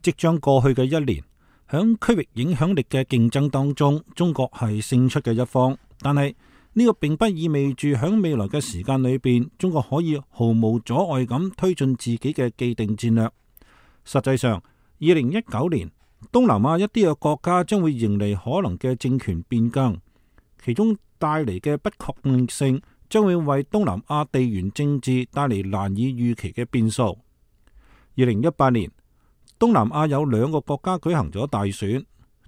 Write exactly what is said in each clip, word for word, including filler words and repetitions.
即將過去嘅一年，響區域影響力嘅競爭當中，中國係勝出嘅一方。但係呢個並不意味住響未來嘅時間裏邊，中國可以毫無阻礙咁推進自己嘅既定戰略。實際上，二零一九年東南亞一啲嘅國家將會迎嚟可能嘅政權變更，其中帶嚟嘅不確定性將會為東南亞地緣政治帶嚟難以預期嘅變數。二零一八年，東南亞有兩個國家舉行咗大選，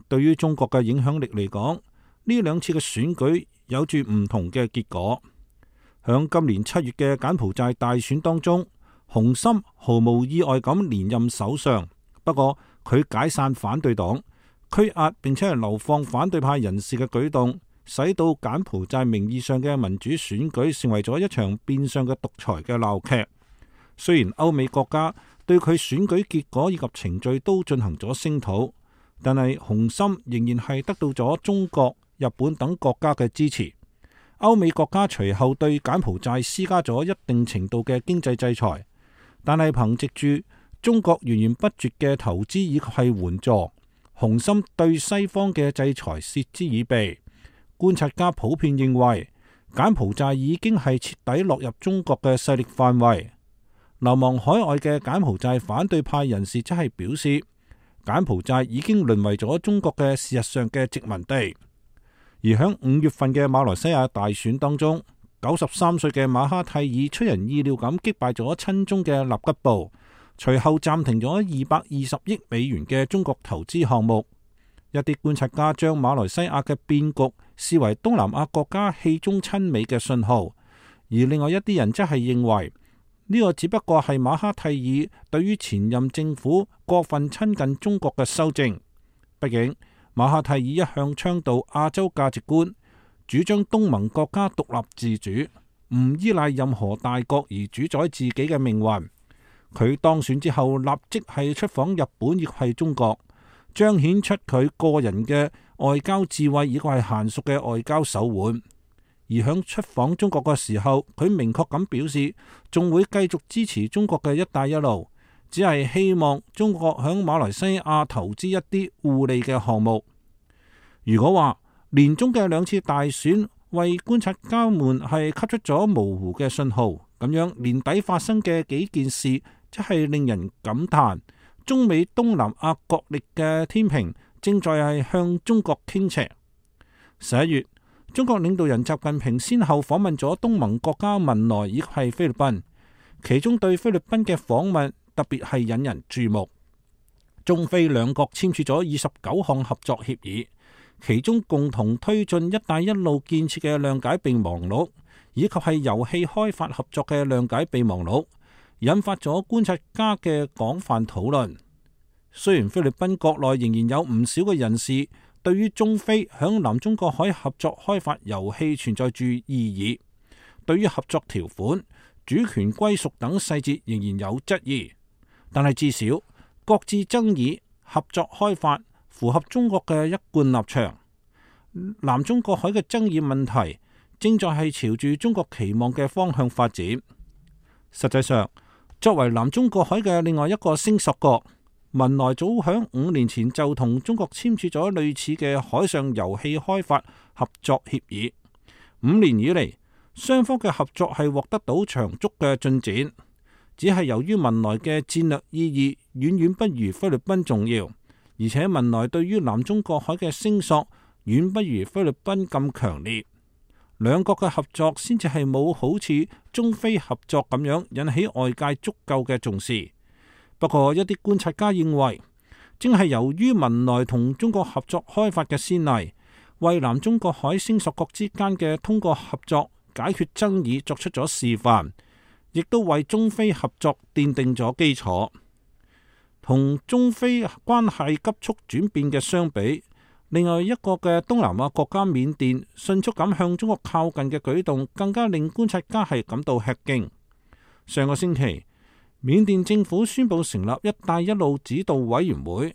對於中國嘅影響力嚟講，呢兩次嘅選舉有住唔同嘅結果。響今年七月嘅柬埔寨大選當中，洪森毫無意外咁連任首相，不過佢解散反對黨、拘押並且係流放反對派人士嘅舉動，使到柬埔寨名義上嘅民主選舉成為咗一場變相嘅獨裁嘅鬧劇。雖然歐美國家對佢選舉結果以及程序都進行咗聲討，但係洪森仍然係得到咗中國、日本等國家嘅支持。歐美國家隨後對柬埔寨施加咗一定程度嘅經濟制裁，但係憑藉住中國源源不絕嘅投資以及係援助，洪森對西方嘅制裁嗤之以鼻。觀察家普遍認為，柬埔寨已經係徹底落入中國嘅勢力範圍。流亡海外嘅柬埔寨反對派人士則係表示，柬埔寨已經淪為咗中國嘅事實上嘅殖民地。而響五月份嘅馬來西亞大選當中，九十三歲嘅馬哈蒂爾出人意料咁擊敗咗親中嘅納吉布，隨後暫停咗二百二十億美元嘅中國投資項目。一啲觀察家將馬來西亞嘅變局視為東南亞國家棄中親美嘅信號，而另外一啲人則係認為呢個只不過係馬哈蒂爾對於前任政府過分親近中國嘅修正。畢竟馬哈蒂爾一向倡導亞洲價值觀，主張東盟國家獨立自主，唔依賴任何大國而主宰自己嘅命運。佢當選之後，立即係出訪日本，亦係中國，彰顯出佢個人嘅外交智慧，亦係嫻熟嘅外交手腕。而響出訪中國嘅時候，佢明確咁表示，仲會繼續支持中國嘅一帶一路，只係希望中國響馬來西亞投資一啲互利嘅項目。如果話年中嘅兩次大選為觀察家們係給出咗模糊嘅信號，咁樣年底發生嘅幾件事，即係令人感嘆中美東南亞角力嘅天平正在係向中國傾斜。十一月，中國領導人習近平先後訪問咗東盟國家文萊以及係菲律賓，其中對菲律賓嘅訪問特別係引人注目。中菲兩國簽署咗二十九項合作協議，其中共同推進一帶一路建設嘅諒解備忘錄，以及係油氣開發合作嘅諒解備忘錄，引發咗觀察家嘅廣泛討論。雖然菲律賓國內仍然有唔少嘅人士對於中菲響南中國海合作開發油氣存在住異議，對於合作條款、主權歸屬等細節仍然有質疑，但係至少各自爭議、合作開發符合中國嘅一貫立場。南中國海嘅爭議問題正在係朝住中國期望嘅方向發展。實際上，作為南中國海嘅另外一個聲索國，文萊早響五年前就同中國簽署咗類似嘅海上油氣開發合作協議。五年以嚟，雙方嘅合作係獲得到長足嘅進展，只係由於文萊嘅戰略意義遠遠不如菲律賓重要，而且文萊對於南中國海嘅聲索遠不如菲律賓咁強烈，兩國嘅合作先至係冇好似中菲合作咁樣引起外界足夠嘅重視。不過一啲觀察家認為，正係由於文萊同中國合作開發嘅先例，為南中國海聲索國之間嘅通過合作解決爭議作出咗示範，亦都為中菲合作奠定咗基礎。同中菲關係急速轉變嘅相比，另外一個嘅東南亞國家緬甸迅速咁向中國靠近嘅舉動，更加令觀察家係感到吃驚。上個星期，緬甸政府宣布成立一帶一路指導委員會，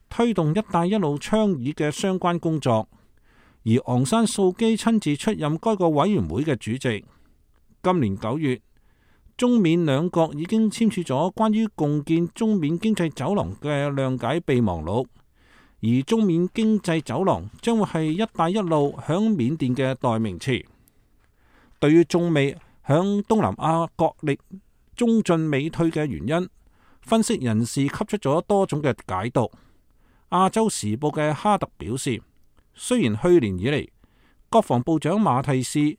推動一帶一路倡議嘅相關工作，而昂山素基親自出任該個委員會嘅主席。今年九月，中緬兩國已經簽署咗關於共建中緬經濟走廊嘅諒解備忘錄，而中緬經濟走廊將會係一帶一路響緬甸嘅代名詞。對於中美響東南亞角力中進美退嘅原因，分析人士給出咗多種嘅解讀。亞洲時報嘅哈特表示，雖然去年以嚟國防部長馬蒂斯、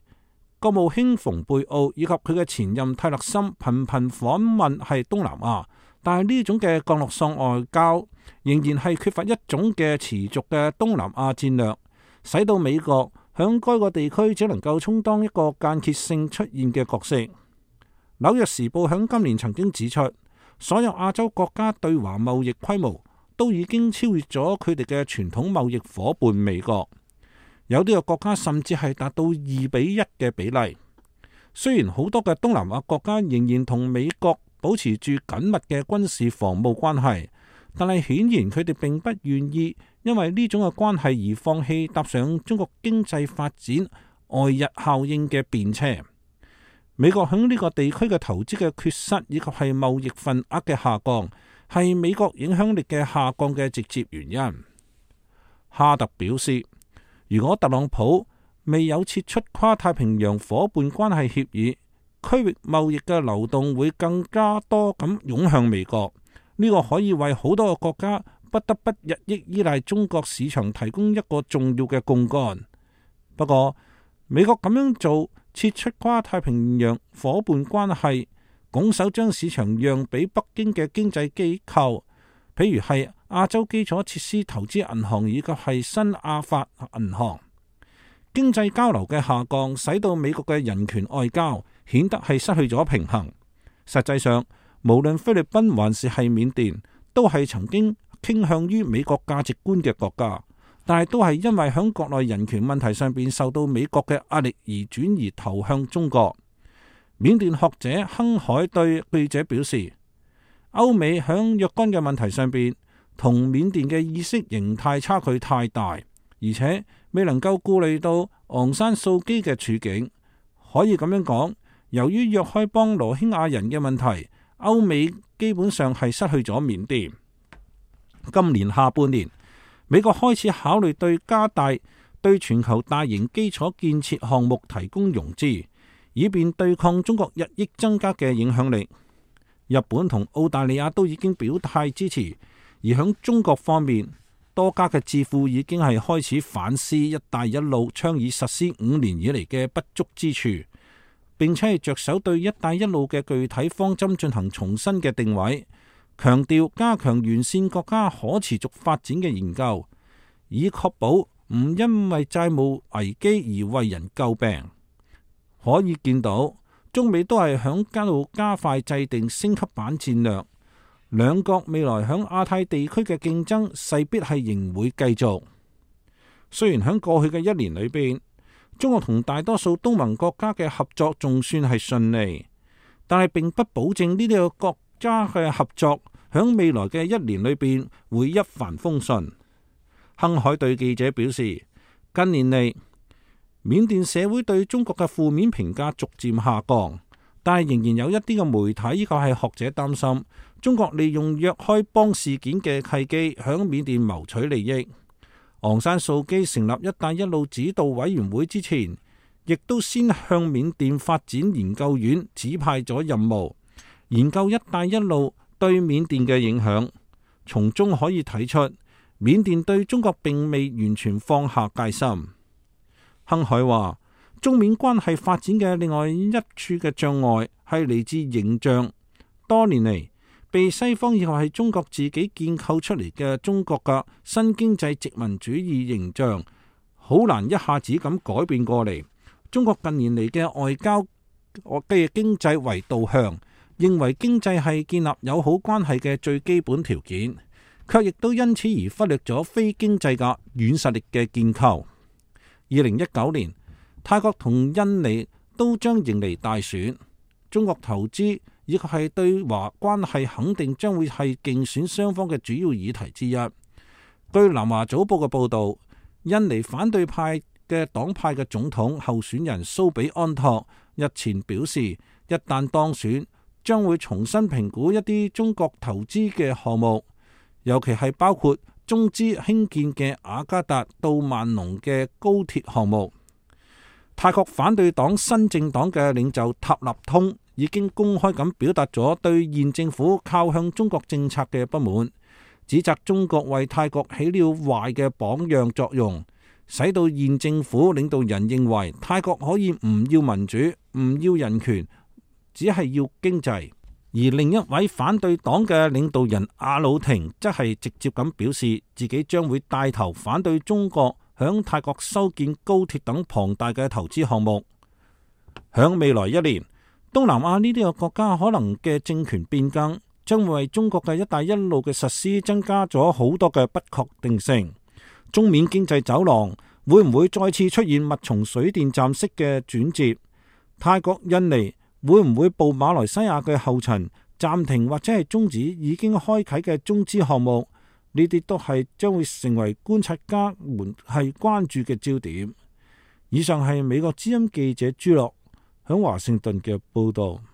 國務卿蓬佩奧以及佢嘅前任泰勒森頻頻訪問係東南亞，但係呢種嘅降落傘外交仍然係缺乏一種嘅持續嘅東南亞戰略，使到美國響該個地區只能夠充當一個間歇性出現嘅角色。紐約時報響今年曾經指出，所有亞洲國家對華貿易規模都已經超越咗佢哋嘅傳統貿易夥伴美國，有啲嘅國家甚至係達到二比一嘅比例。雖然好多嘅東南亞國家仍然同美國保持住緊密嘅軍事防務關係，但係顯然佢哋並不願意因為呢種嘅關係而放棄搭上中國經濟發展外溢效應嘅便車。美國喺呢個地區嘅投資嘅缺失，以及係貿易份額嘅下降，係美國影響力嘅下降嘅直接原因。哈特表示，如果特朗普未有撤出跨太平洋夥伴關係協議，區域貿易嘅流動會更加多咁湧向美國。呢、這個可以為好多個國家不得不日益依賴中國市場提供一個重要嘅槓桿。不過，美國咁樣做，撤出跨太平洋夥伴關係，拱手將市場讓俾北京嘅經濟機構，譬如係亞洲基礎設施投資銀行以及係新亞發銀行。經濟交流嘅下降，使到美國嘅人權外交顯得係失去咗平衡。實際上，無論菲律賓還是係緬甸，都係曾經傾向於美國價值觀嘅國家，但係都係因為響國內人權問題上邊受到美國嘅壓力而轉移投向中國。緬甸學者亨海對記者表示，歐美響若干嘅問題上邊同緬甸嘅意識形態差距太大，而且未能夠顧慮到昂山素基嘅處境。可以咁樣講，由於若開邦羅興亞人嘅問題，歐美基本上係失去咗緬甸。今年下半年，美國開始考慮對加大對全球大型基礎建設項目提供融資，以便對抗中國日益增加嘅影響力。日本同澳大利亞都已經表態支持，而響中國方面，多家嘅智庫已經係開始反思一帶一路倡議實施五年以嚟嘅不足之處，並且係着手對一帶一路嘅具體方針進行重新嘅定位，強調加強完善國家可持續發展嘅研究，以確保唔因為債務危機而為人詬病。可以見到，中美都係響加路加快制定升級版戰略。兩國未來響亞太地區嘅競爭勢必係仍會繼續。雖然響過去嘅一年裏邊，中國同大多數東盟國家嘅合作仲算係順利，但係並不保證呢啲個國家嘅合作響未來嘅一年裏邊會一帆風順。亨海對記者表示，近年嚟，緬甸社會對中國嘅負面評價逐漸下降，但係仍然有一啲嘅媒體依個係學者擔心，中國利用若開邦事件嘅契機，響緬甸謀取利益。昂山素基成立一帶一路指導委員會之前，亦都先向緬甸發展研究院指派咗任務，研究一帶一路對緬甸嘅影響。從中可以睇出，緬甸對中國並未完全放下戒心。亨海話，中緬關係發展嘅另外一處嘅障礙係嚟自形象。多年嚟，被西方以為係中國自己建構出嚟嘅中國嘅新經濟殖民主義形象，好難一下子咁改變過嚟。中國近年嚟嘅外交嘅經濟為導向，認為經濟係建立友好關係嘅最基本條件，卻亦都因此而忽略咗非經濟嘅軟實力嘅建構。二零一九年，泰國同印尼都將迎嚟大選，中國投資以及係對華關係肯定將會係競選雙方嘅主要議題之一。據南華早報嘅報道，印尼反對派嘅黨派嘅總統候選人蘇比安托日前表示，一旦當選，將會重新評估一啲中國投資嘅項目，尤其係包括中資興建嘅雅加達到萬隆嘅高鐵項目。泰國反對黨新政黨嘅領袖塔納通已經公開咁表達咗對現政府靠向中國政策嘅不滿，指責中國為泰國起了壞嘅榜樣作用，使到現政府領導人認為泰國可以唔要民主、唔要人權，只係要經濟。而另一位反對黨嘅領導人阿魯廷則係直接咁表示，自己將會帶頭反對中國響泰國修建高鐵等龐大嘅投資項目。響未來一年，東南亞呢啲個國家可能嘅政權變更，將會為中國嘅一帶一路嘅實施增加咗好多嘅不確定性。中緬經濟走廊會唔會再次出現密松水電站式嘅轉折？泰國、印尼會唔會步馬來西亞嘅後塵，暫停或者係終止已經開啟嘅中資項目？呢啲都係將會成為觀察家們係關注嘅焦點。以上係美國之音記者朱樂響華盛頓嘅報道。